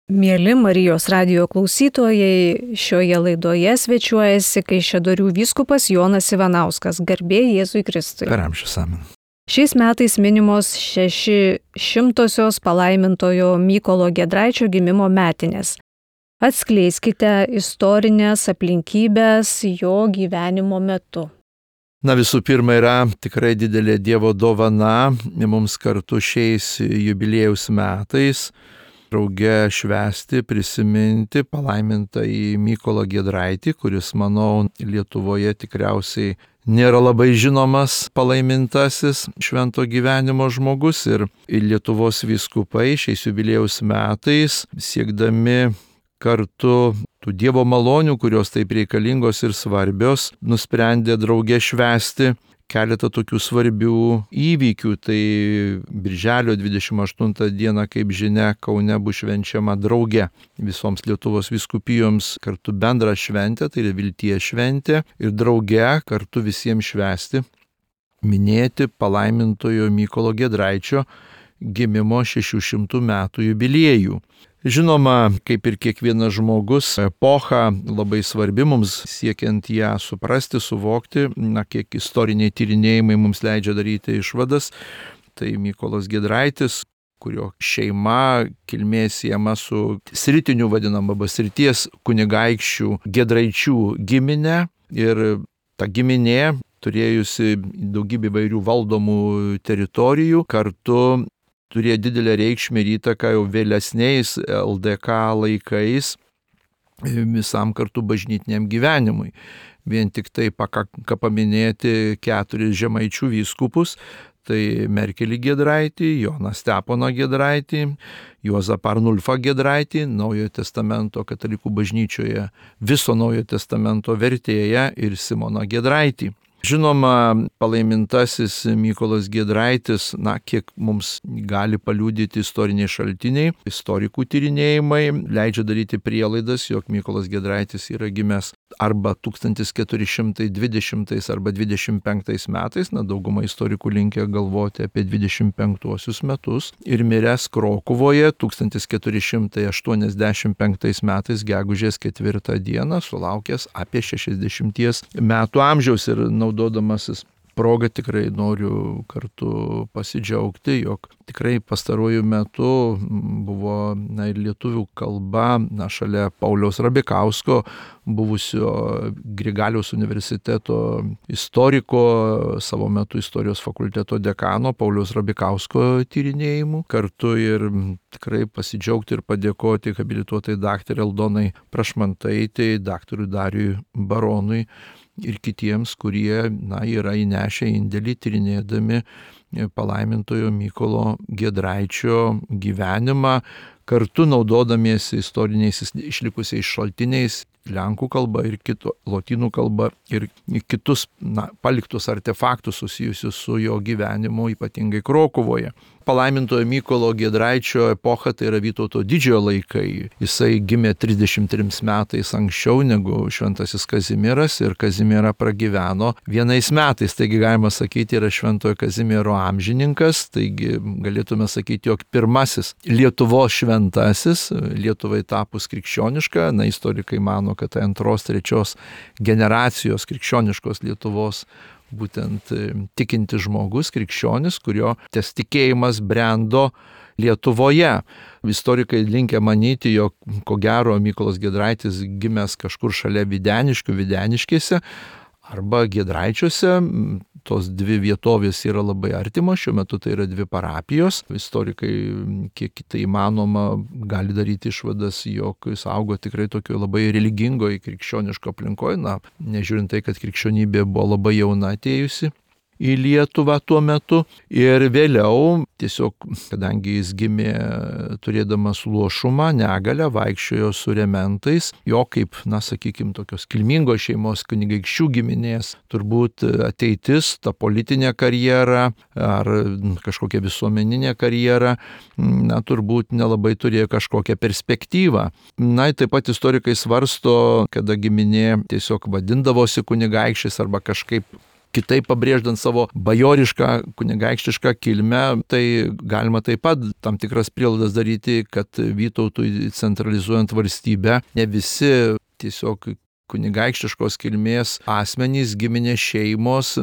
Mieli Marijos radijo klausytojai, šioje laidoje svečiuojasi Kaišiadorių vyskupas Jonas Ivanauskas, garbė Jėzui Kristui. Per amžius amen. Šiais metais minimos 600-osios palaimintojo Mykolo Giedraičio gimimo metinės. Atskleiskite istorinės aplinkybės jo gyvenimo metu. Visų pirma, yra tikrai didelė Dievo dovana mums kartu šiais jubiliejaus metais drauge švęsti, prisiminti palaimintąjį Mykolą Giedraitį, kuris, manau, Lietuvoje tikriausiai nėra labai žinomas palaimintasis švento gyvenimo žmogus, ir Lietuvos vyskupai šiais jubiliejaus metais siekdami kartu tų Dievo malonių, kurios taip reikalingos ir svarbios, nusprendė drauge švęsti keletą tokių svarbių įvykių. Tai Birželio 28 dieną, kaip žinia, Kaune bus švenčiama drauge visoms Lietuvos vyskupijoms kartu bendra šventė, tai yra vilties šventė, ir drauge kartu visiems švęsti, minėti palaimintojo Mykolo Giedraičio gimimo 600 metų jubiliejų. Žinoma, kaip ir kiekvienas žmogus, epocha labai svarbi mums siekiant ją suprasti, suvokti, kiek istoriniai tyrinėjimai mums leidžia daryti išvadas. Tai Mykolas Giedraitis, kurio šeima kilmė siejama su sritiniu vadinama srities kunigaikščių Giedraičių giminė, ir ta giminė, turėjusi daugybę įvairių valdomų teritorijų, kartu turėjo didelę reikšmę ir įtaką jau vėlesniais LDK laikais visam kartu bažnytiniam gyvenimui. Vien tik tai pakanka paminėti 4 žemaičių vyskupus, tai Merkelį Giedraitį, Joną Steponą Giedraitį, Juozapą Arnulfą Giedraitį, Naujojo testamento katalikų bažnyčioje viso Naujojo testamento vertėją, ir Simoną Giedraitį. Žinoma, palaimintasis Mykolas Giedraitis, kiek mums gali paliudyti istoriniai šaltiniai, istorikų tyrinėjimai, leidžia daryti prielaidas, jog Mykolas Giedraitis yra gimęs arba 1420 arba 25 metais, dauguma istorikų linkę galvoti apie 25 metus, ir miręs Krokuvoje 1485 metais gegužės 4 dieną, sulaukęs apie 60 metų amžiaus. Ir naudodamasis progą tikrai noriu kartu pasidžiaugti, jog tikrai pastaruoju metu buvo ir lietuvių kalba, šalia Pauliaus Rabikausko, buvusio Grigaliaus universiteto istoriko, savo metu istorijos fakulteto dekano Pauliaus Rabikausko tyrinėjimų, kartu ir tikrai pasidžiaugti ir padėkoti habilituotai daktarei Aldonai Prašmantaitei, daktarui Dariui Baronui ir kitiems, kurie yra įnešę indėlį tyrinėdami palaimintojo Mykolo Giedraičio gyvenimą, kartu naudodamiesi istoriniais išlikusiais šaltiniais, lenkų kalba ir lotynų kalba, ir kitus paliktus artefaktus susijusius su jo gyvenimu, ypatingai Krokuvoje. Palaimintojo Mykolo Giedraičio epocha tai yra Vytauto didžiojo laikai. Jisai gimė 33 metais anksčiau negu šventasis Kazimieras, ir Kazimierą pragyveno 1 metais. Taigi galima sakyti, yra šventojo Kazimiero amžininkas. Taigi galėtume sakyti, jog pirmasis Lietuvos šventasis, Lietuvai tapus krikščioniška. Istorikai mano, kad tai 2-3 generacijos krikščioniškos Lietuvos būtent tikinti žmogus, krikščionis, kurio tas tikėjimas brendo Lietuvoje. Istorikai linkę manyti, jog ko gero Mykolas Giedraitis gimęs kažkur šalia Videniškėse arba Giedraičiuose. Tos 2 vietovės yra labai artimos, šiuo metu tai yra 2 parapijos. Istorikai, kiek tai įmanoma, gali daryti išvadas, jog jis augo tikrai tokio labai religingoje, krikščioniško aplinkoje, nežiūrint tai, kad krikščionybė buvo labai jauna atėjusi į Lietuvą tuo metu. Ir vėliau, tiesiog, kadangi jis gimė turėdamas luošumą, negalią, vaikščiojo su rementais, jo kaip, sakykime, tokios kilmingos šeimos kunigaikščių giminės, turbūt ateitis, ta politinė karjera ar kažkokia visuomeninė karjera, turbūt nelabai turėjo kažkokią perspektyvą. Taip pat istorikai svarsto, kada giminė tiesiog vadindavosi kunigaikščiais arba kažkaip kitaip pabrėždant savo bajorišką, kunigaikštišką kilmę, tai galima taip pat tam tikras prielaidas daryti, kad Vytautui centralizuojant valstybę, ne visi tiesiog kunigaikštiškos kilmės asmenys, giminės šeimos,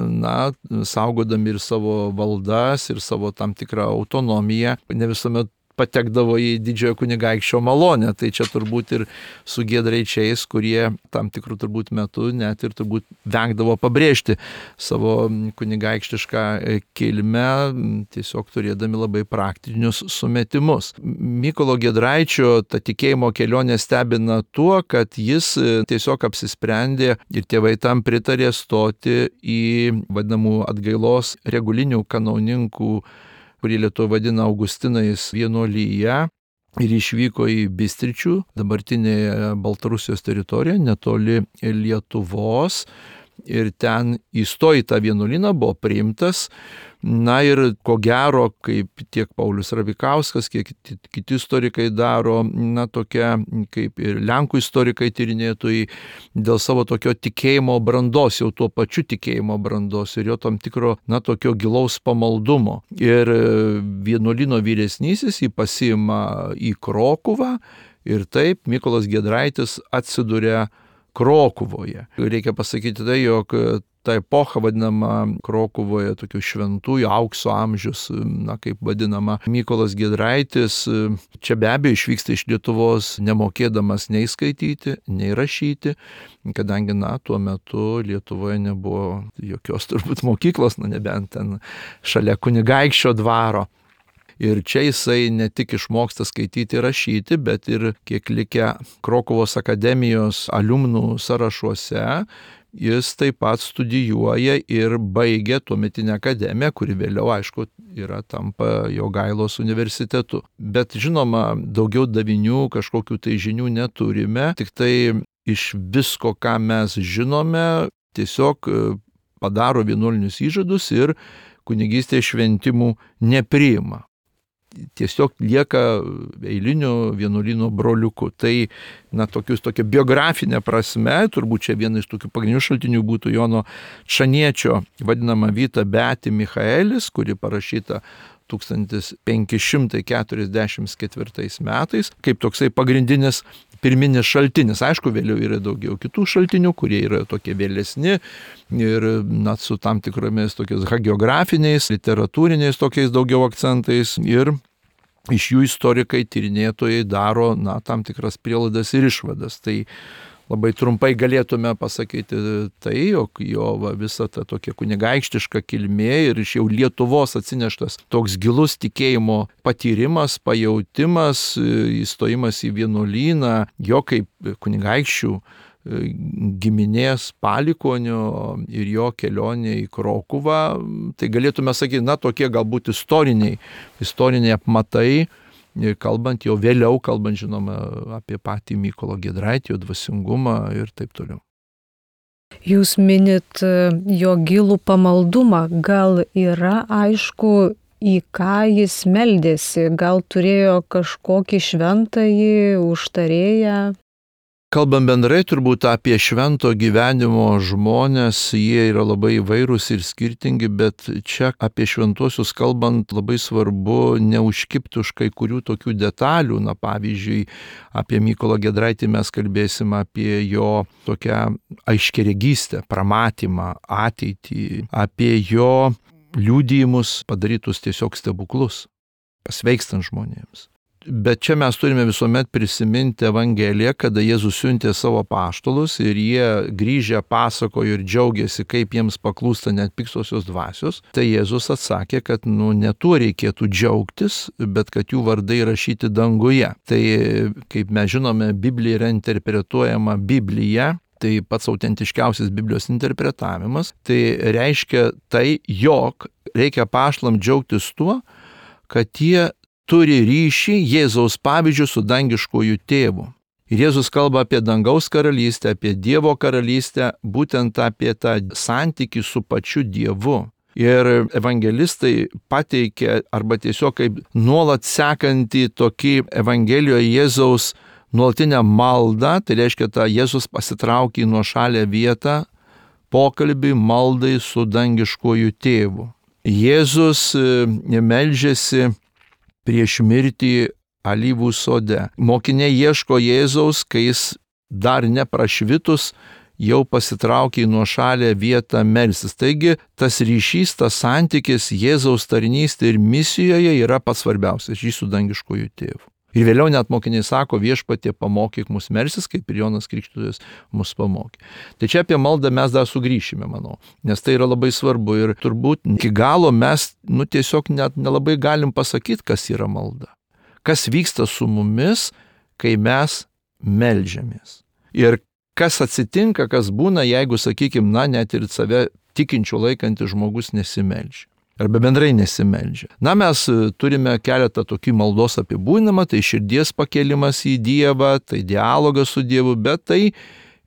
saugodami ir savo valdas, ir savo tam tikrą autonomiją, ne visuomet patekdavo į didžiojo kunigaikščio malonę. Tai čia turbūt ir su Giedraičiais, kurie tam tikrų turbūt metu net ir turbūt vengdavo pabrėžti savo kunigaikštišką kilmę, tiesiog turėdami labai praktinius sumetimus. Mykolo Giedraičio ta tikėjimo kelionė stebina tuo, kad jis tiesiog apsisprendė ir tėvai tam pritarė stoti į vadinamų atgailos regulinių kanauninkų, kurį Lietuva vadina Augustinais, vienuolyje ir išvyko į Bistričių, dabartinėje Baltarusijos teritorijoje, netoli Lietuvos. Ir ten įstojo į tą vienuolyną, buvo priimtas. Ir ko gero, kaip tiek Paulius Rabikauskas, kiek kiti istorikai daro, tokia kaip ir Lenkų istorikai tyrinėtojai, dėl savo tokio tikėjimo brandos, jau tuo pačiu tikėjimo brandos ir jo tam tikro, tokio gilaus pamaldumo. Ir vienuolyno vyresnysis jį pasiima į Krokuvą ir taip Mykolas Giedraitis atsiduria Krokuvoje. Reikia pasakyti tai, jog ta epocha vadinama Krokuvoje tokių šventųjų aukso amžius, kaip vadinama Mykolas Giedraitis, čia be abejo išvyksta iš Lietuvos nemokėdamas nei skaityti, nei rašyti, kadangi tuo metu Lietuvoje nebuvo jokios turbūt mokyklos, nebent ten šalia kunigaikščio dvaro. Ir čia jisai ne tik išmoksta skaityti ir rašyti, bet ir kiek likę Krokuvos akademijos aliumnų sąrašuose, jis taip pat studijuoja ir baigia tuometinę akademiją, kuri vėliau, aišku, tampa Jogailos universitetu. Bet žinoma, daugiau davinių, kažkokių tai žinių neturime, tik tai iš visko, ką mes žinome, tiesiog padaro vienuolinius įžadus ir kunigystės šventimų nepriima. Tiesiog lieka eiliniu vienuolyno broliuku. Tai, tokia biografinė prasme, turbūt čia vienas iš tokių pagrindinių šaltinių būtų Jono Čaniečio vadinama Vita Beati Michaelis, kuri parašyta 1544 metais, kaip toksai pagrindinis pirminis šaltinis. Aišku, vėliau yra daugiau kitų šaltinių, kurie yra tokie vėlesni ir su tam tikromis tokiais hagiografiniais, literatūriniais tokiais daugiau akcentais ir iš jų istorikai, tyrinėtojai daro tam tikras prielaidas ir išvadas. Tai labai trumpai galėtume pasakyti tai, jog jo visa ta tokia kunigaikštiška kilmė ir iš jau Lietuvos atsineštas toks gilus tikėjimo patyrimas, pajautimas, įstojimas į vienuolyną, jo kaip kunigaikščių giminės palikuonio ir jo kelionė į Krokuvą, tai galėtume sakyti, tokie galbūt istoriniai apmatai, kalbant jau vėliau, žinoma, apie patį Mykolą Giedraitį, jo dvasingumą ir taip toliau. Jūs minit jo gilų pamaldumą, gal yra aišku, į ką jis meldėsi, gal turėjo kažkokį šventąjį užtarėją? Kalbant bendrai turbūt apie švento gyvenimo žmonės, jie yra labai įvairūs ir skirtingi, bet čia apie šventuosius kalbant labai svarbu neužkibti už kai kurių tokių detalių. Pavyzdžiui, apie Mykolą Giedraitį mes kalbėsim apie jo tokią aiškiaregystę, pramatymą, ateitį, apie jo liudijimus padarytus tiesiog stebuklus, pasveikstant žmonėms. Bet čia mes turime visuomet prisiminti Evangeliją, kada Jėzus siuntė savo apaštalus ir jie grįžę pasakojo ir džiaugiasi, kaip jiems paklūsta net piktosios dvasios. Tai Jėzus atsakė, kad ne tuo reikėtų džiaugtis, bet kad jų vardai rašyti danguje. Tai, kaip mes žinome, Biblija yra interpretuojama Biblija. Tai pats autentiškiausias Biblijos interpretavimas. Tai reiškia tai, jog reikia apaštalam džiaugtis tuo, kad jie turi ryšį Jėzaus pavyzdžių su dangiškuoju tėvu. Ir Jėzus kalba apie dangaus karalystę, apie Dievo karalystę, būtent apie tą santykį su pačiu Dievu. Ir evangelistai pateikia arba tiesiog kaip nuolat sekantį tokį Evangelijoje Jėzaus nuolatinę maldą, tai reiškia tą Jėzus pasitraukė į nuošalę vietą, pokalbiui, maldai su dangiškuoju tėvu. Jėzus meldžiasi prieš mirtį alyvų sode. Mokiniai ieško Jėzaus, kai jis dar neprašvitus jau pasitraukė į nuošalę vietą melstis. Taigi tas ryšys, tas santykis Jėzaus tarnystė ir misijoje yra pats svarbiausias, ryšys su dangiškuoju tėvu. Ir vėliau net mokiniai sako, Viešpatie pamokyk mus melstis, kaip ir Jonas Krikštytojas mus pamokė. Tai čia apie maldą mes dar sugrįšime, manau, nes tai yra labai svarbu ir turbūt iki galo mes tiesiog net nelabai galim pasakyti, kas yra malda. Kas vyksta su mumis, kai mes meldžiamės. Ir kas atsitinka, kas būna, jeigu, sakykime, net ir save tikinčių laikantis žmogus nesimeldžia. Arba bendrai nesimeldžia. Mes turime keletą tokių maldos apibūdinimą, tai širdies pakėlimas į Dievą, tai dialogas su Dievu, bet tai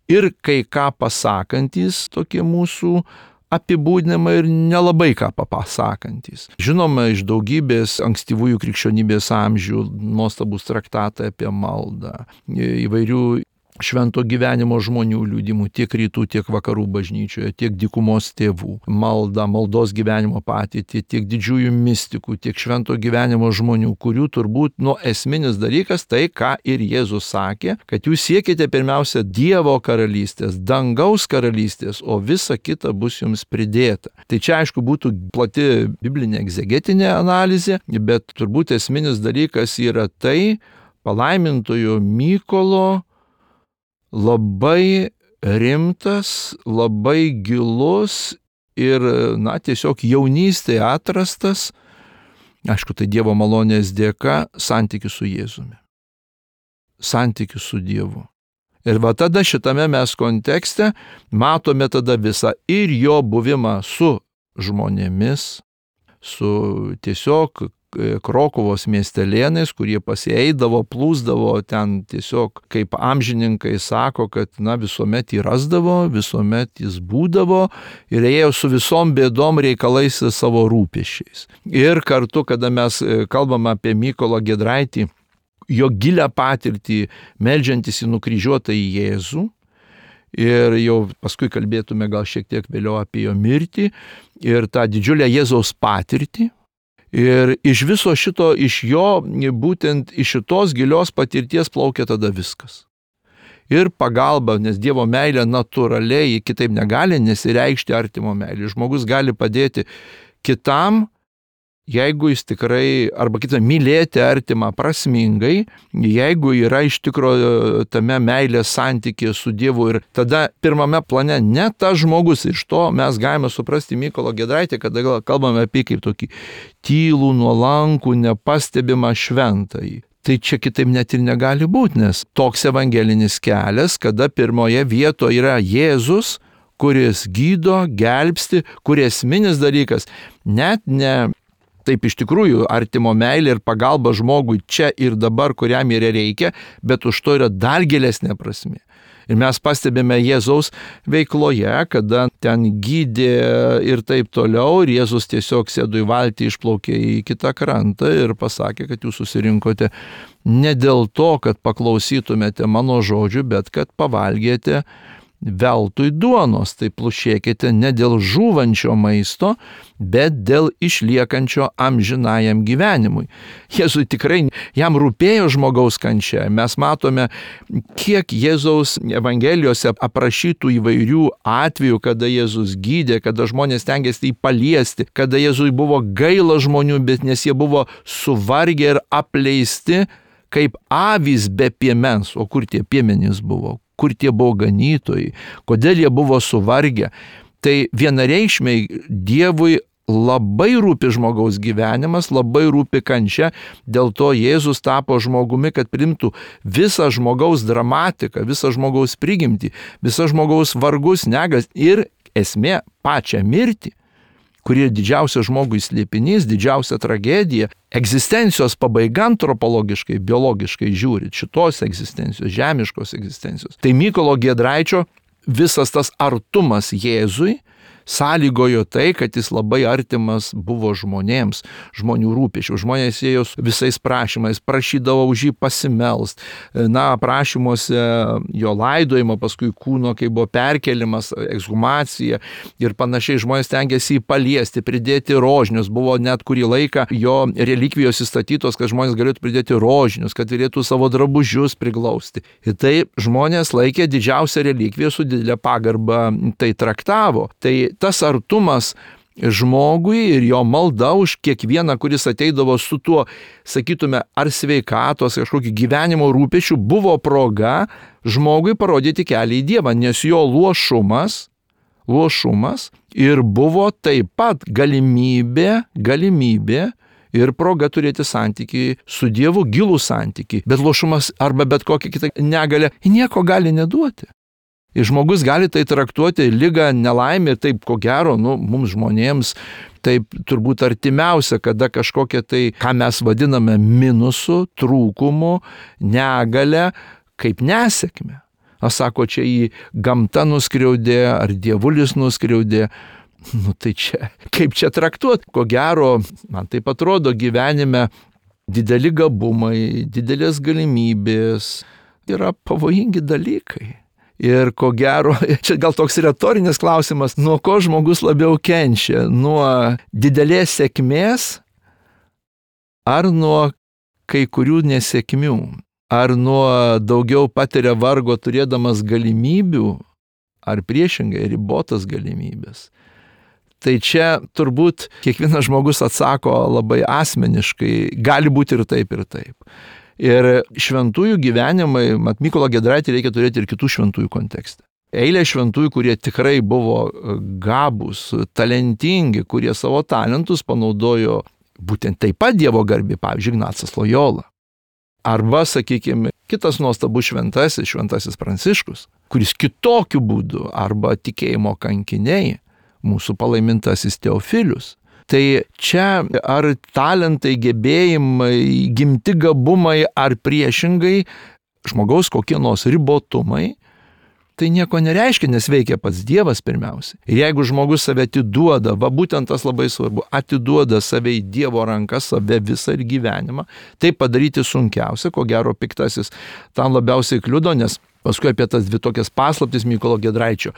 ir kai ką pasakantis tokie mūsų apibūdinimai ir nelabai ką pasakantis. Žinoma, iš daugybės ankstyvųjų krikščionybės amžių nuostabus traktatai apie maldą, įvairių švento gyvenimo žmonių liudimų tiek rytų, tiek vakarų bažnyčioje, tiek dykumos tėvų. Malda, maldos gyvenimo patirtį, tiek didžiųjų mistikų, tiek švento gyvenimo žmonių, kurių turbūt esminis dalykas tai, ką ir Jėzus sakė, kad jūs siekite pirmiausia Dievo karalystės, dangaus karalystės, o visa kita bus jums pridėta. Tai čia aišku būtų plati biblinė egzegetinė analizė, bet turbūt esminis dalykas yra tai, palaimintojo Mykolo labai rimtas, labai gilus ir, tiesiog jaunystėje atrastas, aišku, tai Dievo malonės dėka, santykis su Jėzumi. Santykis su Dievu. Ir tada šitame mes kontekste matome tada visą ir jo buvimą su žmonėmis, su tiesiog Krokuvos miestelėnais, kurie pasieidavo, plūsdavo ten tiesiog, kaip amžininkai sako, kad visuomet jį rasdavo, visuomet jis būdavo ir ėjo su visom bėdom reikalais savo rūpesčiais. Ir kartu, kada mes kalbam apie Mykolą Giedraitį, jo gilią patirtį meldžiantis į nukryžiuotą į Jėzų, ir jau paskui kalbėtume gal šiek tiek vėliau apie jo mirtį ir tą didžiulę Jėzaus patirtį. Ir iš viso šito, iš jo, būtent iš šitos gilios patirties plaukia tada viskas. Ir pagalba, nes Dievo meilė natūraliai kitaip negali nesireikšti artimo meilė. Žmogus gali padėti kitam, jeigu jis tikrai, arba kitą mylėti artimą prasmingai, jeigu yra iš tikrųjų tame meilės santykėje su Dievu. Ir tada pirmame plane ne tas žmogus, iš to mes galime suprasti Mykolo Giedraitį, kada kalbame apie kaip tokį tylų, nuolankų, nepastebimą šventąjį. Tai čia kitaip net ir negali būti, nes toks evangelinis kelias, kada pirmoje vietoje yra Jėzus, kuris gydo, gelbsti, kuris esminis dalykas, net ne taip iš tikrųjų artimo meilė ir pagalba žmogui čia ir dabar, kuriam ir reikia, bet už to yra dar gilesnė prasmė. Ir mes pastebime Jėzaus veikloje, kada ten gydė ir taip toliau, ir Jėzus tiesiog sėdo į valtį, išplaukė į kitą krantą ir pasakė, kad jūs susirinkote ne dėl to, kad paklausytumėte mano žodžių, bet kad pavalgėte veltui duonos, tai plušėkite ne dėl žūvančio maisto, bet dėl išliekančio amžinajam gyvenimui. Jėzui tikrai, jam rūpėjo žmogaus kančia. Mes matome, kiek Jėzaus evangelijose aprašytų įvairių atvejų, kada Jėzus gydė, kada žmonės stengiasi jį paliesti, kada Jėzui buvo gaila žmonių, bet nes jie buvo suvargę ir apleisti, kaip avys be piemens. O kur tie piemenys buvo? Kur tie buvo ganytojai, kodėl jie buvo suvargę. Tai vienareikšmiai Dievui labai rūpi žmogaus gyvenimas, labai rūpi kančia, dėl to Jėzus tapo žmogumi, kad priimtų visą žmogaus dramatiką, visą žmogaus prigimtį, visą žmogaus vargus, negas ir esmė pačią mirtį, kuri yra didžiausias žmogui slėpinys, didžiausia tragedija, egzistencijos pabaiga antropologiškai, biologiškai žiūrint, šitos egzistencijos, žemiškos egzistencijos. Tai Mykolo Giedraičio visas tas artumas Jėzui, sąlygojo tai, kad jis labai artimas buvo žmonėms, žmonių rūpesčių. Žmonės ėjo visais prašymais, prašydavo už jį pasimelst. Prašymuose jo laidojimo, paskui kūno, kai buvo perkelimas, ekshumacija ir panašiai, žmonės tengiasi jį paliesti, pridėti rožinius. Buvo net kurį laiką jo relikvijos įstatytos, kad žmonės galėtų pridėti rožinius, kad galėtų savo drabužius priglausti. Ir tai žmonės laikė didžiausią relikviją, su didelė pagarba tai traktavo. Tai tas artumas žmogui ir jo malda už kiekvieną, kuris ateidavo su tuo, sakytume, ar sveikatos, kažkokį gyvenimo rūpesčių, buvo proga žmogui parodyti kelią į Dievą, nes jo luošumas ir buvo taip pat galimybė ir proga turėti santykį su Dievu, gilų santykį. Bet luošumas arba bet kokia kita negalia nieko gali neduoti. Ir žmogus gali tai traktuoti ligą, nelaimę, taip ko gero, mums žmonėms taip turbūt artimiausia, kada kažkokia tai, ką mes vadiname minusu, trūkumu, negale, kaip nesėkmė. Sako, čia į gamtą nuskriaudė, ar dievulis nuskriaudė. Tai čia, kaip čia traktuoti? Ko gero, man taip atrodo, gyvenime dideli gabumai, didelės galimybės yra pavojingi dalykai. Ir ko gero, čia gal toks retorinis klausimas, nuo ko žmogus labiau kenčia? Nuo didelės sėkmės ar nuo kai kurių nesėkmių? Ar nuo daugiau patiria vargo turėdamas galimybių, ar priešingai ribotas galimybės? Tai čia turbūt kiekvienas žmogus atsako labai asmeniškai, gali būti ir taip, ir taip. Ir šventųjų gyvenimai, Mykolą Giedraitį reikia turėti ir kitų šventųjų kontekste. Eilė šventųjų, kurie tikrai buvo gabūs, talentingi, kurie savo talentus panaudojo būtent taip pat Dievo garbei, pavyzdžiui, Ignacas Lojola. Arba, sakykime, kitas nuostabus šventasis Pranciškus, kuris kitokiu būdu, arba tikėjimo kankiniai, mūsų palaimintasis Teofilius. Tai čia ar talentai, gebėjimai, gimti gabumai, ar priešingai žmogaus kokie nors ribotumai, tai nieko nereiškia, nes veikia pats Dievas pirmiausia. Ir jeigu žmogus save atiduoda, būtent tas labai svarbu, atiduoda save į Dievo rankas, save visą ir gyvenimą, tai padaryti sunkiausia, ko gero piktasis tam labiausiai kliudo, nes paskui apie tas dvi tokias paslaptis Mykolo Giedraičio,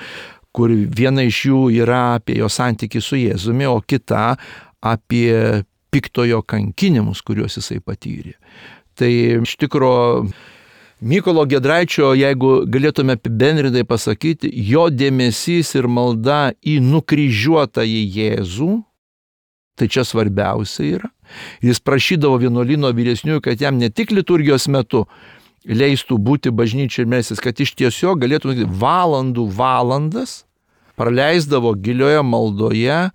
kur viena iš jų yra apie jo santykį su Jėzumi, o kita apie piktojo kankinimus, kuriuos jisai patyrė. Tai iš tikro Mykolo Giedraičio, jeigu galėtume apibendrintai pasakyti, jo dėmesys ir malda į nukryžiuotąjį Jėzų, tai čia svarbiausia yra. Jis prašydavo vienuolyno vyresniųjų, kad jam ne tik liturgijos metu leistų būti bažnyčiai ir melstis, kad iš tiesiog galėtų valandas praleisdavo gilioje maldoje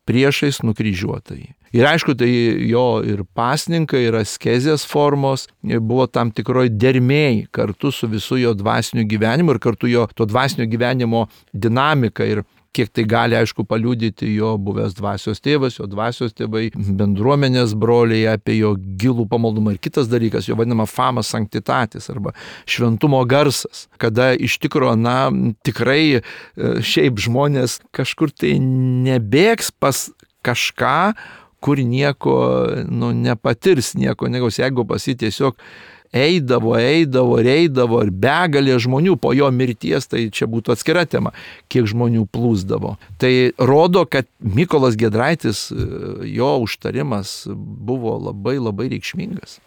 priešais nukryžiuotąjį. Ir aišku, tai jo ir pasninkai, ir askezės formos buvo tam tikroj dermėj kartu su visu jo dvasiniu gyvenimu ir kartu jo to dvasinio gyvenimo dinamika ir kiek tai gali, aišku, paliudyti jo buvęs dvasios tėvas, jo dvasios tėvai, bendruomenės broliai apie jo gilų pamaldumą. Ir kitas dalykas, jo vadinama fama sanctitatis arba šventumo garsas, kada iš tikro, tikrai šiaip žmonės kažkur tai nebėgs pas kažką, kur nieko nepatirs, nieko negaus, jeigu pas jį tiesiog eidavo ir begalė žmonių po jo mirties, tai čia būtų atskira tema, kiek žmonių plūsdavo. Tai rodo, kad Mykolas Giedraitis, jo užtarimas buvo labai labai reikšmingas.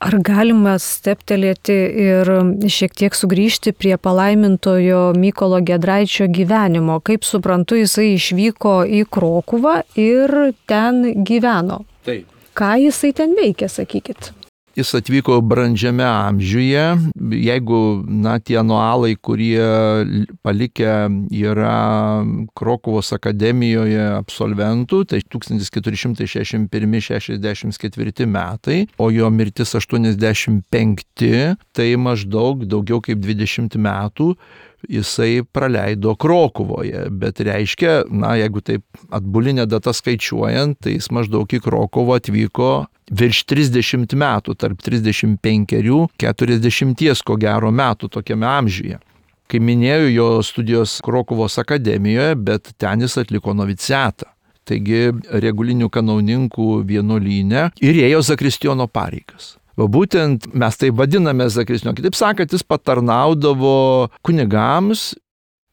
Ar galima steptelėti ir šiek tiek sugrįžti prie palaimintojo Mykolo Giedraičio gyvenimo? Kaip suprantu, jisai išvyko į Krokuvą ir ten gyveno. Taip. Ką jisai ten veikė, sakykit? Jis atvyko brandžiame amžiuje, jeigu tie anualai, kurie palikę yra Krokuvos akademijoje absolventų, tai 1461-64 metai, o jo mirtis 85, tai maždaug daugiau kaip 20 metų jisai praleido Krokuvoje, bet reiškia, jeigu taip atbulinė data skaičiuojant, tai jis maždaug į Krokuvą atvyko virš 30 metų, tarp 35-40 ko gero metų tokiame amžiuje. Kai minėjau, jo studijos Krokuvos akademijoje, bet ten jis atliko noviciatą. Taigi regulinių kanauninkų vienuolyne ir ėjo zakristijono pareigas. O būtent mes tai vadiname zakristijono. Kitaip sakant, jis patarnaudavo kunigams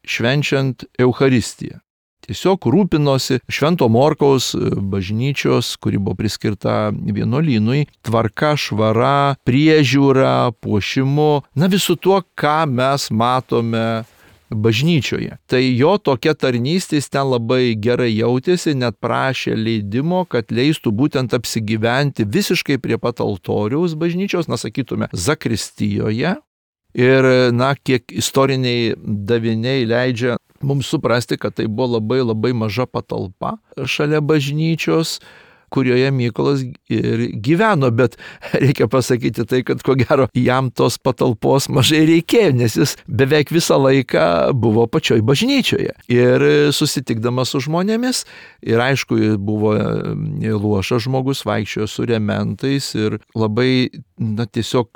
švenčiant Eucharistiją. Tiesiog rūpinosi Švento Morkaus bažnyčios, kuri buvo priskirta vienuolynui, tvarka, švara, priežiūra, puošimu, visų tuo, ką mes matome bažnyčioje. Tai jo tokia tarnystė ten labai gerai jautėsi, net prašė leidimo, kad leistų būtent apsigyventi visiškai prie pat altoriaus bažnyčios, sakytume, zakristijoje. Ir, kiek istoriniai daviniai leidžia mums suprasti, kad tai buvo labai labai maža patalpa šalia bažnyčios, kurioje Mykolas ir gyveno, bet reikia pasakyti tai, kad ko gero jam tos patalpos mažai reikėjo, nes jis beveik visą laiką buvo pačioj bažnyčioje. Ir susitikdamas su žmonėmis, ir aišku, buvo luošas žmogus, vaikščiojo su rementais ir labai, tiesiog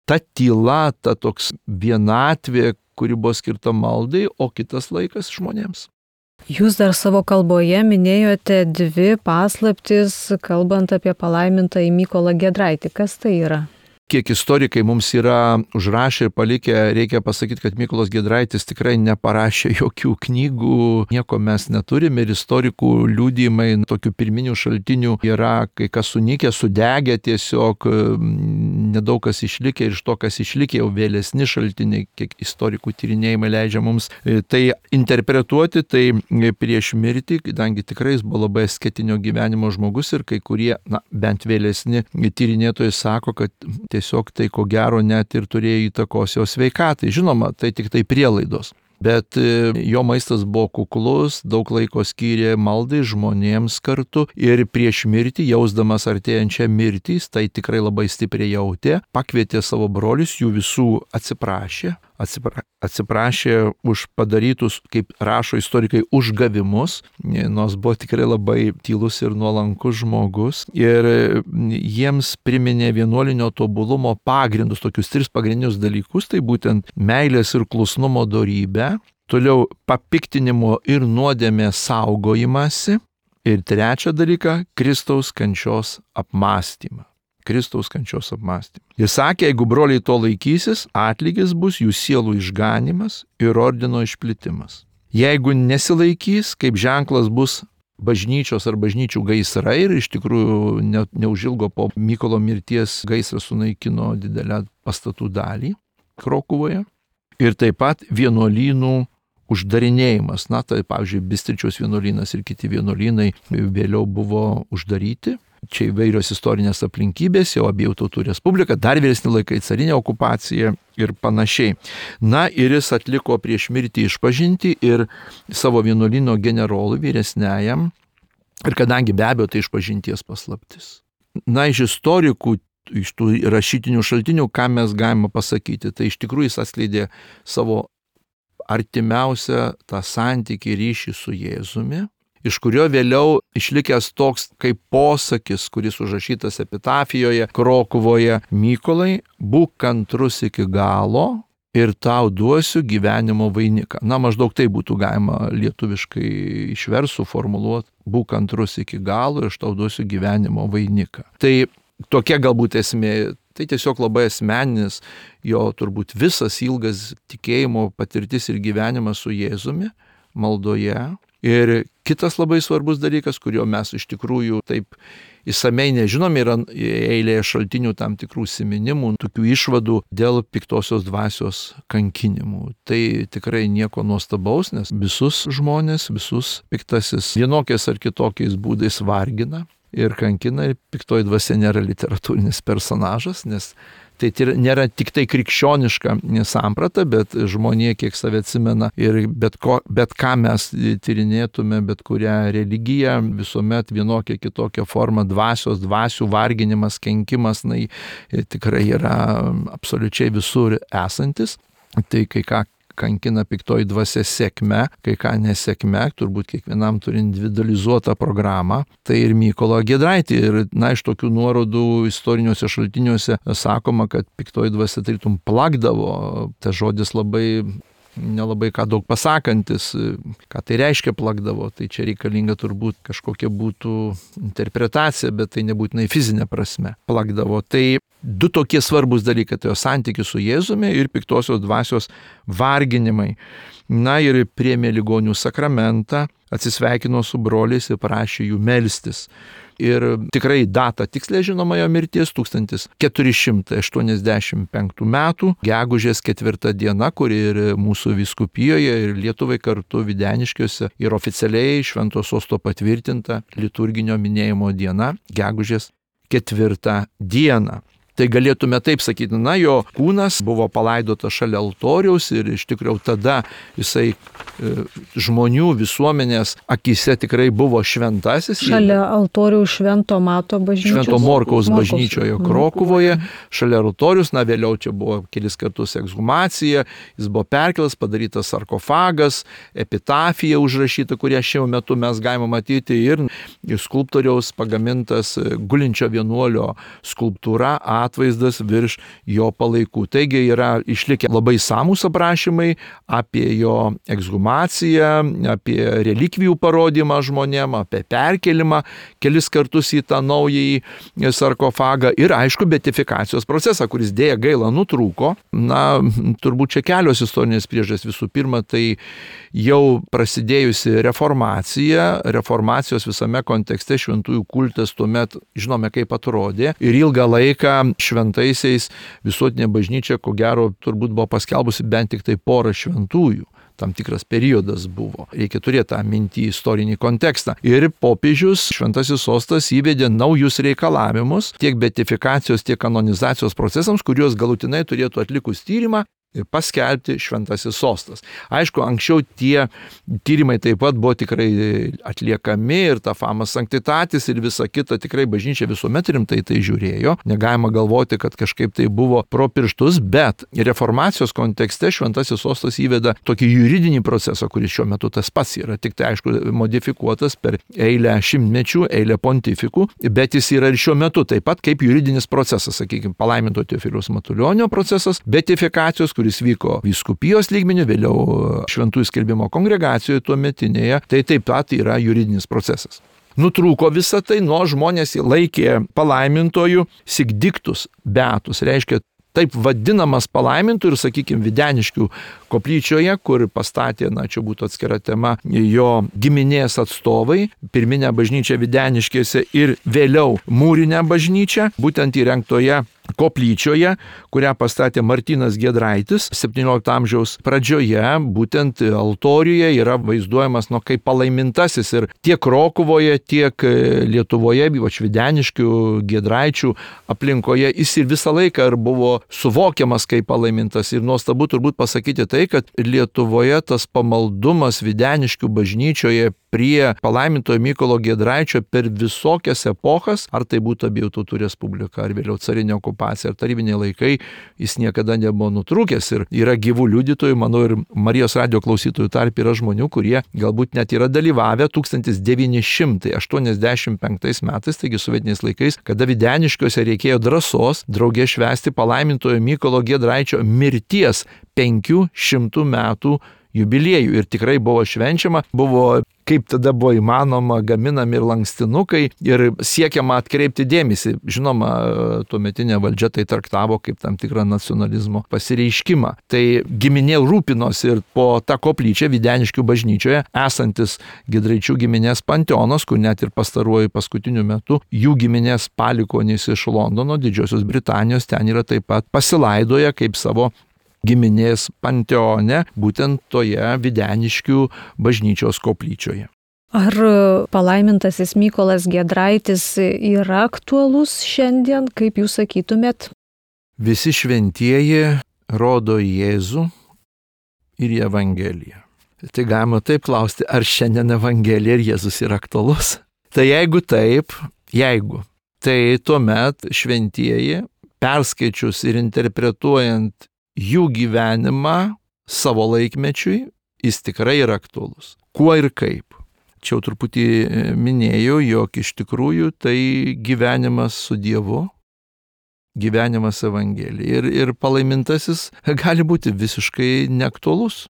ta tyla, ta toks vienatvė, kuri buvo skirta maldai, o kitas laikas žmonėms. Jūs dar savo kalboje minėjote 2 paslaptis, kalbant apie palaimintąjį Mykolą Giedraitį. Kas tai yra? Kiek istorikai mums yra užrašę ir palikę, reikia pasakyti, kad Mykolas Giedraitis tikrai neparašė jokių knygų, nieko mes neturime ir istorikų liudijimai, tokių pirminių šaltinių yra, kai kas sunykę, sudegę tiesiog, nedaug kas išlikė ir iš to, kas išlikė, jau vėlesni šaltiniai, kiek istorikų tyrinėjimai leidžia mums tai interpretuoti, tai prieš mirtį, kadangi tikrai jis buvo labai asketinio gyvenimo žmogus ir kai kurie, bent vėlesni tyrinėtojai sako, kad tiesiog tai ko gero net ir turėjo įtakos jo sveikatai. Žinoma, tai tik tai prielaidos. Bet jo maistas buvo kuklus, daug laiko skyrė maldai žmonėms kartu ir prieš mirtį, jausdamas artėjančią mirtį, tai tikrai labai stipriai jautė, pakvietė savo brolius, jų visų atsiprašė už padarytus, kaip rašo istorikai, užgavimus, nors buvo tikrai labai tylus ir nuolankus žmogus ir jiems priminė vienuolinio tobulumo pagrindus, tokius 3 pagrindinius dalykus, tai būtent meilės ir klusnumo dorybę, toliau papiktinimo ir nuodėmės saugojimąsi ir 3 dalyką - Kristaus kančios apmąstymą. Kristaus kančios apmąstymą. Jis sakė, jeigu broliai to laikysis, atlygis bus jų sielų išganimas ir ordino išplitimas. Jeigu nesilaikys, kaip ženklas bus bažnyčios ar bažnyčių gaisrai ir iš tikrųjų neužilgo po Mykolo mirties gaisras sunaikino didelę pastatų dalį Krokuvoje. Ir taip pat vienuolynų uždarinėjimas. Tai pavyzdžiui, Bistričiaus vienuolynas ir kiti vienuolynai vėliau buvo uždaryti. Čia įvairios istorinės aplinkybės, jau Abiejų tautų respublika, dar vėlesni laikai, carinė okupacija ir panašiai. Ir jis atliko prieš mirtį išpažintį ir savo vienuolyno generolui vyresniajam, ir kadangi be abejo tai išpažinties paslaptis. Iš istorikų, iš tų rašytinių šaltinių, ką mes galime pasakyti, tai iš tikrųjų jis atskleidė savo artimiausią tą santykį ryšį su Jėzumi, iš kurio vėliau išlikęs toks kaip posakis, kuris užrašytas epitafijoje Krokuvoje: Mykolai, būk kantrus iki galo ir tau duosiu gyvenimo vainiką. Maždaug tai būtų galima lietuviškai išverst, suformuluoti: būk kantrus iki galo ir aš tau duosiu gyvenimo vainiką. Tai tokia galbūt esmė. Tai tiesiog labai asmeninis jo turbūt visas ilgas tikėjimo patirtis ir gyvenimas su Jėzumi maldoje. Ir kitas labai svarbus dalykas, kurio mes iš tikrųjų taip įsamei nežinome, yra eilėje šaltinių tam tikrų siminimų, tokių išvadų dėl piktosios dvasios kankinimų. Tai tikrai nieko nuostabaus, nes visus žmonės, visus piktasis vienokiais ar kitokiais būdais vargina ir kankina, ir piktoji dvasia nėra literatūrinis personažas, nes tai nėra tik tai krikščioniška samprata, bet žmonė, kiek save atsimena, ir bet ką mes tyrinėtume, bet kurią religiją, visuomet vienokia kitokia forma dvasių varginimas, kenkimas, tikrai yra absoliučiai visur esantis. Tai kai ką kankina piktoji dvasia sėkme, kai ką nesėkme, turbūt kiekvienam turi individualizuotą programą, tai ir Mykolą Giedraitį. Ir iš tokių nuorodų istoriniuose šaltiniuose sakoma, kad piktoji dvasia tarytum plakdavo, tas žodis labai nelabai ką daug pasakantis, ką tai reiškia plakdavo. Tai čia reikalinga turbūt kažkokia būtų interpretacija, bet tai nebūtinai fizinė prasme plakdavo. Tai du tokie svarbus dalykai, tai jo santykis su Jėzumi ir piktosios dvasios varginimai. Na ir priėmė ligonių sakramentą, atsisveikino su broliais ir prašė jų melstis. Ir tikrai data tikslė žinoma jo mirties 1485 metų, gegužės 4 diena, kuri ir mūsų vyskupijoje, ir Lietuvai kartu Videniškiuose, ir oficialiai Švento Sosto patvirtinta liturginio minėjimo diena, gegužės 4 diena. Tai galėtume taip sakyti, na, jo kūnas buvo palaidotas šalia altoriaus ir iš tikrųjų tada jisai žmonių visuomenės akise tikrai buvo šventasis. Šalia altoriaus Švento Mato bažnyčios. Švento Morkaus bažnyčioje Krokuvoje, šalia altoriaus, na vėliau čia buvo kelis kartus ekshumacija, jis buvo perkelas, padarytas sarkofagas, epitafija užrašyta, kurią šiuo metu mes galime matyti, ir skulptoriaus pagamintas gulinčio vienuolio skulptūra, atvaizdas virš jo palaikų. Taigi yra išlikę labai samūs aprašymai apie jo ekshumaciją, apie relikvijų parodymą žmonėm, apie perkelimą kelis kartus į tą naująjį sarkofagą ir aišku beatifikacijos procesą, kuris dėja gaila nutrūko. Na, turbūt čia kelios istorinės priežastys. Visų pirma, tai jau prasidėjusi reformacija, reformacijos visame kontekste šventųjų kultas tuomet žinome kaip atrodė ir ilgą laiką šventaisiais visuotinė bažnyčia, ko gero, turbūt buvo paskelbusi bent tik tai porą šventųjų. Tam tikras periodas buvo. Reikia turėti tą mintį istorinį kontekstą. Ir popiežius, Šventasis Sostas, įvedė naujus reikalavimus tiek beatifikacijos, tiek kanonizacijos procesams, kuriuos galutinai turėtų atlikus tyrimą ir paskelbti Šventasis Sostas. Aišku, anksčiau tie tyrimai taip pat buvo tikrai atliekami ir ta fama sanctitatis ir visa kita, tikrai bažnyčia visuomet rimtai tai žiūrėjo. Negalima galvoti, kad kažkaip tai buvo pro pirštus, bet reformacijos kontekste Šventasis Sostas įveda tokį juridinį procesą, kuris šiuo metu tas pats yra, tik tai aišku modifikuotas per eilę šimtmečių, eilę pontifikų, bet jis yra ir šiuo metu taip pat kaip juridinis procesas, sakykime, palaiminto Teofiliaus Matulionio procesas, beatifikacijos, kuris vyko vyskupijos lygmeniu, vėliau šventųjų skelbimo kongregacijoje tuometinėje, tai taip pat yra juridinis procesas. Nutrūko visą tai, nuo žmonės laikė palaimintojų sigdiktus beatus, reiškia taip vadinamas palaimintų ir, sakykime, Videniškių koplyčioje, kur pastatė, na, čia būtų atskira tema, jo giminės atstovai, pirminę bažnyčią Videniškėse ir vėliau mūrinę bažnyčią, būtent įrengtoje koplyčioje, kurią pastatė Martynas Giedraitis 17 amžiaus pradžioje, būtent altoriuje yra vaizduojamas kaip palaimintasis ir tiek Krokuvoje, tiek Lietuvoje, ypač Videniškių, Giedraičių aplinkoje, jis ir visą laiką ir buvo suvokiamas kaip palaimintas. Ir nuostabu turbūt pasakyti tai, kad Lietuvoje tas pamaldumas Videniškių bažnyčioje prie palaimintojo Mykolo Giedraičio per visokias epochas, ar tai būtų abiejų tautų respublika, ar vėliau carinė okupacija, ar tarybiniai laikai, jis niekada nebuvo nutrūkęs. Ir yra gyvų liudytojų, manau, ir Marijos radijo klausytojų tarp yra žmonių, kurie galbūt net yra dalyvavę 1985 metais, taigi sovietiniais laikais, kada Videniškiuose reikėjo drąsos draugė švęsti palaimintojo Mykolo Giedraičio mirties 500 metų jubiliejų. Ir tikrai buvo švenčiama, buvo, kaip tada buvo įmanoma, gaminami ir lankstinukai ir siekiama atkreipti dėmesį. Žinoma, tuometinė valdžia tai traktavo kaip tam tikrą nacionalizmo pasireiškimą. Tai giminė rūpinosi ir po tą koplyčią Videniškių bažnyčioje esantis Giedraičių giminės panteonas, kur net ir pastaruoju paskutiniu metu jų giminės palikonys iš Londono, Didžiosios Britanijos, ten yra taip pat pasilaidoję kaip savo giminės panteone, būtent toje Videniškių bažnyčios koplyčioje. Ar palaimintasis Mykolas Giedraitis yra aktualus šiandien, kaip jūs sakytumėt? Visi šventieji rodo Jėzų ir į Evangeliją. Tai galima taip klausti, ar šiandien Evangelija ir Jėzus yra aktualus? Tai jeigu taip, tai tuomet šventieji, perskaičius ir interpretuojant jų gyvenimą savo laikmečiui, jis tikrai yra aktualus. Kuo ir kaip? Čia jau truputį minėjau, jog iš tikrųjų tai gyvenimas su Dievu, gyvenimas Evangelija. Ir palaimintasis gali būti visiškai neaktualus.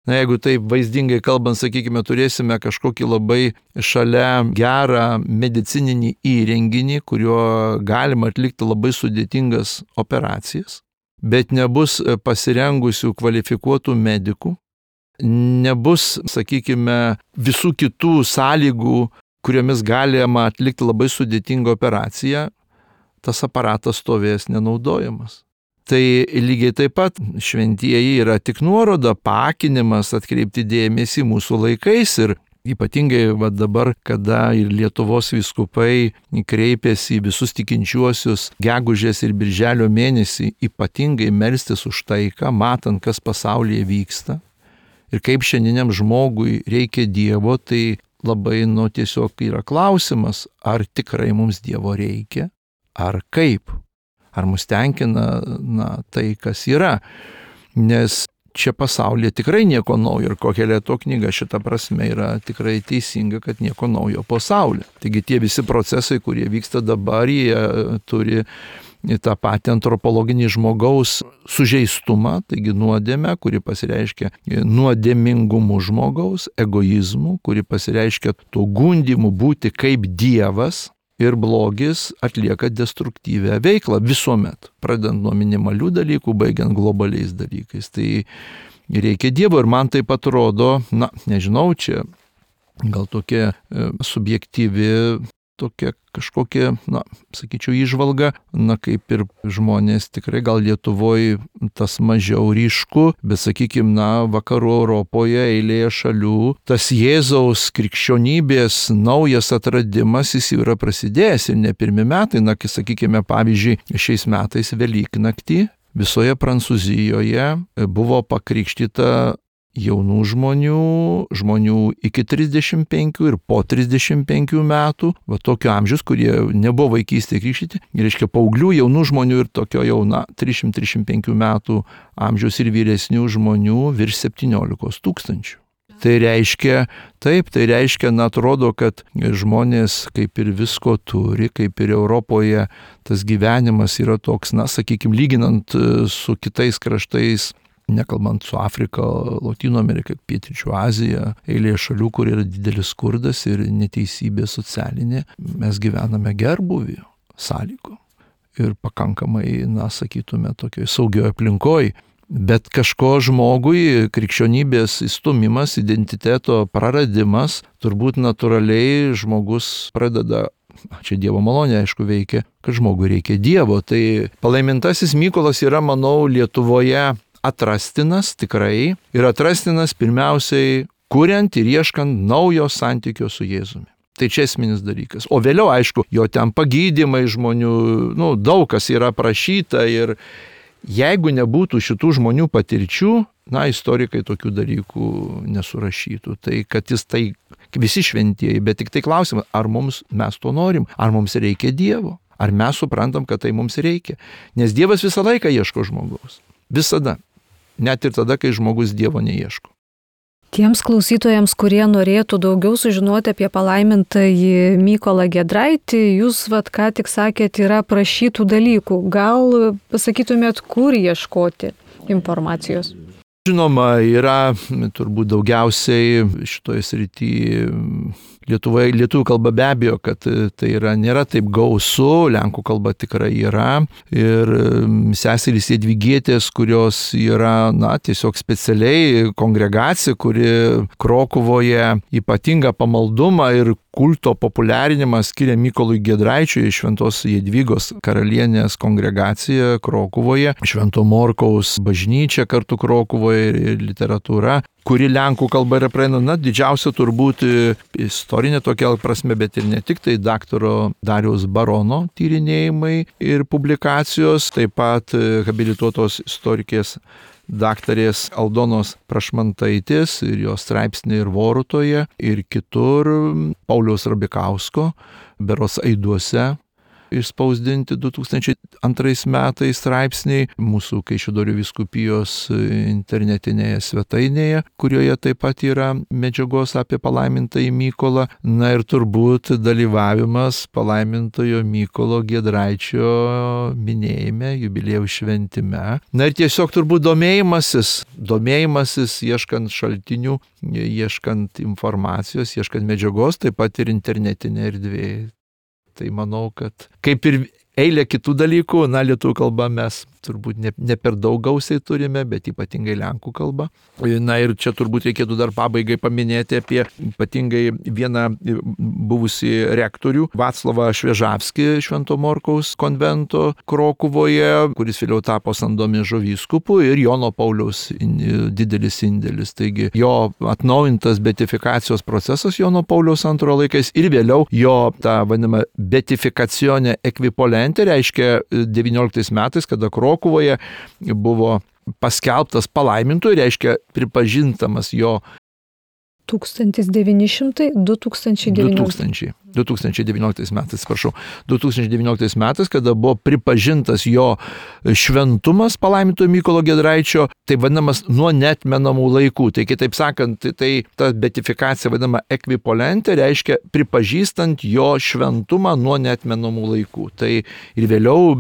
Na, jeigu taip vaizdingai kalbant, sakykime, turėsime kažkokį labai šalia gerą medicininį įrenginį, kuriuo galima atlikti labai sudėtingas operacijas, bet nebus pasirengusių kvalifikuotų medikų, nebus, sakykime, visų kitų sąlygų, kuriomis galima atlikti labai sudėtingą operaciją, tas aparatas stovės nenaudojamas. Tai lygiai taip pat šventieji yra tik nuoroda, paakinimas, atkreipti dėmesį mūsų laikais ir ypatingai dabar, kada ir Lietuvos vyskupai kreipėsi į visus tikinčiuosius gegužės ir birželio mėnesį ypatingai melstis už taiką, matant, kas pasaulyje vyksta ir kaip šiandieniam žmogui reikia Dievo, tai labai tiesiog yra klausimas, ar tikrai mums Dievo reikia, ar kaip. Ar mus tenkina tai, kas yra. Nes čia pasaulyje tikrai nieko naujo ir Koheleto knyga šita prasme yra tikrai teisinga, kad nieko naujo po saulė. Taigi tie visi procesai, kurie vyksta dabar, jie turi tą patį antropologinį žmogaus sužeistumą, taigi nuodėmę, kuri pasireiškia nuodėmingumu žmogaus, egoizmu, kuri pasireiškia to gundimu būti kaip Dievas. Ir blogis atlieka destruktyvę veiklą visuomet, pradedant nuo minimalių dalykų, baigiant globaliais dalykais. Tai reikia Dievo ir man taip atrodo, nežinau, čia gal tokia subjektyvi, tokia kažkokia, sakyčiau, įžvalga, kaip ir žmonės tikrai gal Lietuvoje tas mažiau ryšku, bet sakykime, vakarų Europoje eilėje šalių, tas Jėzaus krikščionybės naujas atradimas jis yra prasidėjęs ir ne pirmi metai, kai sakykime, pavyzdžiui, šiais metais Velyknaktį visoje Prancūzijoje buvo pakrikštyta jaunų žmonių iki 35 ir po 35 metų, tokio amžiaus, kurie nebuvo vaikystėje krikštyti, reiškia paauglių, jaunų žmonių ir tokio jauna 335 metų amžiaus ir vyresnių žmonių virš 17 000. Tai reiškia, atrodo, kad žmonės kaip ir visko turi, kaip ir Europoje tas gyvenimas yra toks, sakykime, lyginant su kitais kraštais, nekalbant su Afrika, Lotynų Amerika, Pietryčių Azija, eilė šalių, kur yra didelis skurdas ir neteisybė socialinė, mes gyvename gerbūvį sąlygų ir pakankamai, sakytume, tokioje saugioje aplinkoje. Bet kažko žmogui krikščionybės įstumimas, identiteto praradimas, turbūt natūraliai žmogus pradeda, čia Dievo malonė aišku veikia, kad žmogui reikia Dievo. Tai palaimintasis Mykolas yra, manau, Lietuvoje atrastinas tikrai ir atrastinas pirmiausiai kuriant ir ieškant naujo santykio su Jėzumi. Tai čia esminis dalykas. O vėliau, aišku, jo ten pagydymai žmonių, daug kas yra prašyta ir jeigu nebūtų šitų žmonių patirčių, istorikai tokių dalykų nesurašytų. Tai kad jis tai visi šventieji, bet tik tai klausimas, ar mes to norim, ar mums reikia Dievo, ar mes suprantam, kad tai mums reikia. Nes Dievas visą laiką ieško žmogaus. Visada. Net ir tada, kai žmogus Dievo neieško. Tiems klausytojams, kurie norėtų daugiau sužinoti apie palaimintąjį Mykolą Giedraitį, jūs ką tik sakėt, yra prašytų dalykų. Gal pasakytumėt, kur ieškoti informacijos? Žinoma, yra turbūt daugiausiai šitoje srityje lietuvių kalba be abejo, kad tai nėra taip gausu, lenkų kalba tikrai yra. Ir seserys Jadvygietės, kurios yra, tiesiog specialiai kongregacija, kuri Krokuvoje ypatingą pamaldumą ir kulto populiarinimą skiria Mykolui Giedraičiui, Šventos Jadvygos karalienės kongregacija Krokuvoje, Švento Morkaus bažnyčia kartu Krokuvoje ir literatūra, kuri lenkų kalba yra praeina, didžiausia turbūt istorinė tokia prasme, bet ir ne tik, tai daktaro Dariaus Barono tyrinėjimai ir publikacijos, taip pat habilituotos istorikės daktarės Aldonos Prašmantaitės ir jos straipsniai ir Vorutoje ir kitur, Pauliaus Rabikausko, berods Aiduose išspausdinti 2002 metais straipsniai mūsų Kaišiadorių vyskupijos internetinėje svetainėje, kurioje taip pat yra medžiagos apie palaimintąjį Mykolą. Na ir turbūt dalyvavimas palaimintojo Mykolo Giedraičio minėjime, jubiliejaus šventime. Na ir tiesiog turbūt domėjimasis, ieškant šaltinių, ieškant informacijos, ieškant medžiagos, taip pat ir internetinė erdvė. Tai manau, kad kaip ir eilė kitų dalykų, lietuvių kalba mes turbūt ne per daug gausiai turime, bet ypatingai lenkų kalba. Na ir čia turbūt reikėtų dar pabaigai paminėti apie ypatingai vieną buvusį rektorių, Vaclavą Šviežavskį Švento Morkaus konvento Krokuvoje, kuris vėliau tapo Sandomiežo vyskupu, ir Jono Pauliaus didelis indėlis. Taigi jo atnaujintas beatifikacijos procesas Jono Pauliaus antrojo laikais ir vėliau jo ta vadinama beatifikacionė ekvipolentė, reiškia 19 metais, kada Krokuvoje buvo paskelbtas palaimintoju, reiškia pripažintamas jo 2019 metais, kada buvo pripažintas jo šventumas palaimintojo Mykolo Giedraičio, tai vadinamas nuo neatmenamų laikų. Tai kitaip sakant, tai ta beatifikacija vadinama ekvipolentė, reiškia pripažįstant jo šventumą nuo neatmenamų laikų. Tai ir vėliau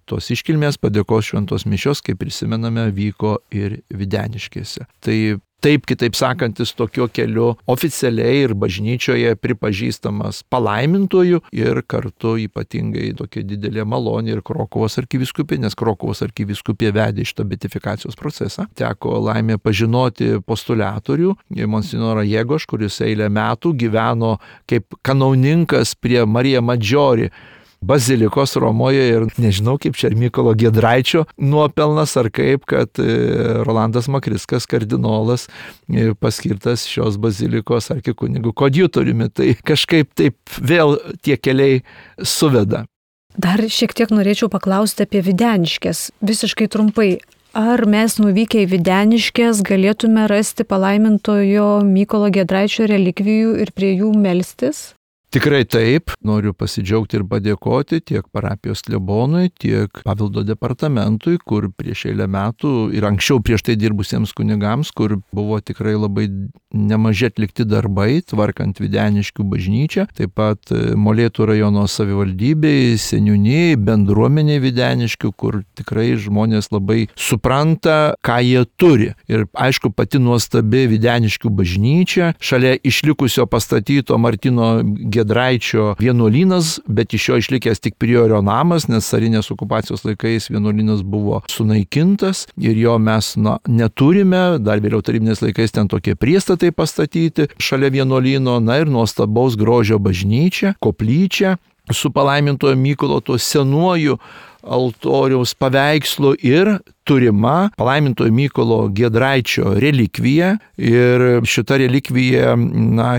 tos iškilmės padėkos šventos mišios, kaip prisimename, vyko ir Videniškėse. Tai taip, kitaip sakantis, tokio keliu oficialiai ir bažnyčioje pripažįstamas palaimintoju ir kartu ypatingai tokia didelė malonė ir Krokuvos arkivyskupė, nes Krokuvos arkivyskupė vedė šitą beatifikacijos procesą. Teko laimė pažinoti postuliatorių, monsignorą Jėgoš, kuris eilę metų gyveno kaip kanauninkas prie Marija Maggiore bazilikos Romoje ir nežinau, kaip čia Mykolo Giedraičio nuopelnas ar kaip, kad Rolandas Makriskas, kardinolas, paskirtas šios bazilikos arkikunigu koadjutoriumi. Tai kažkaip taip vėl tie keliai suveda. Dar šiek tiek norėčiau paklausti apie Videniškes. Visiškai trumpai. Ar mes nuvykę į Videniškes galėtume rasti palaimintojo Mykolo Giedraičio relikvijų ir prie jų melstis? Tikrai taip, noriu pasidžiaugti ir padėkoti tiek parapijos klebonui, tiek paveldo departamentui, kur prieš eilę metų ir anksčiau prieš tai dirbusiems kunigams, kur buvo tikrai labai nemaži atlikti darbai, tvarkant Videniškių bažnyčią, taip pat Molėtų rajono savivaldybei, seniūnijai, bendruomeniai Videniškių, kur tikrai žmonės labai supranta, ką jie turi. Ir aišku, pati nuostabi Videniškių bažnyčia, šalia išlikusio pastatyto Martino Giedraičio vienuolynas, bet iš jo išlikęs tik priorio namas, nes carinės okupacijos laikais vienuolynas buvo sunaikintas ir jo mes neturime. Dar vėliau tarybiniais laikais ten tokie priestatai pastatyti šalia vienuolyno, ir nuostabaus grožio bažnyčia, koplyčia su palaimintojo Mykolo tuo senuoju altoriaus paveikslu ir turima palaimintojo Mykolo Giedraičio relikvija. Ir šita relikvija,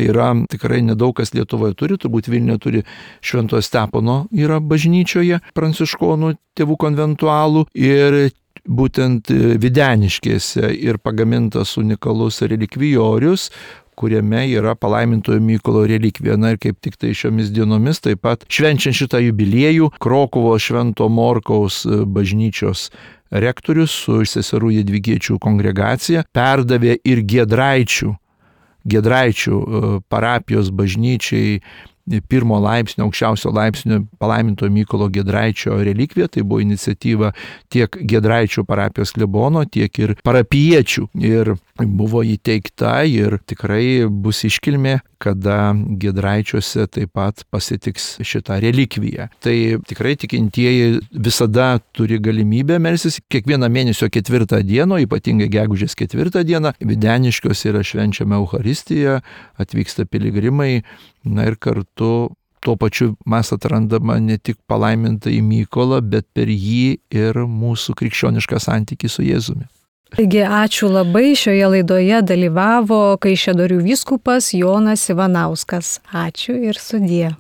yra tikrai nedaug kas Lietuvoje turi, turbūt Vilniuje turi Šventojo Stepono yra bažnyčioje, pranciškonų tėvų konventualų, ir būtent Videniškėse ir pagamintas unikalus relikvijorius, kuriame yra palaimintojo Mykolo relikvija. Ir kaip tik tai šiomis dienomis, taip pat švenčiant šitą jubiliejų, Krokuvos Švento Morkaus bažnyčios rektorius su seserų Jadvygiečių kongregacija perdavė ir Giedraičių parapijos bažnyčiai pirmo laipsnio, aukščiausio laipsnio palaimintojo Mykolo Giedraičio relikvija. Tai buvo iniciatyva tiek Giedraičių parapijos klebono, tiek ir parapiečių. Ir buvo įteikta ir tikrai bus iškilmė, kada Giedraičiuose taip pat pasitiks šitą relikviją. Tai tikrai tikintieji visada turi galimybę melstis kiekvieną mėnesio 4 dieną, ypatingai gegužės 4 dieną. Videniškiuose yra švenčiama Eucharistija, atvyksta piligrimai, ir kartu tuo pačiu mes atrandama ne tik palaimintąjį Mykolą, bet per jį ir mūsų krikščionišką santykį su Jėzumi. Taigi ačiū labai, šioje laidoje dalyvavo Kaišiadorių vyskupas Jonas Ivanauskas. Ačiū ir sudie.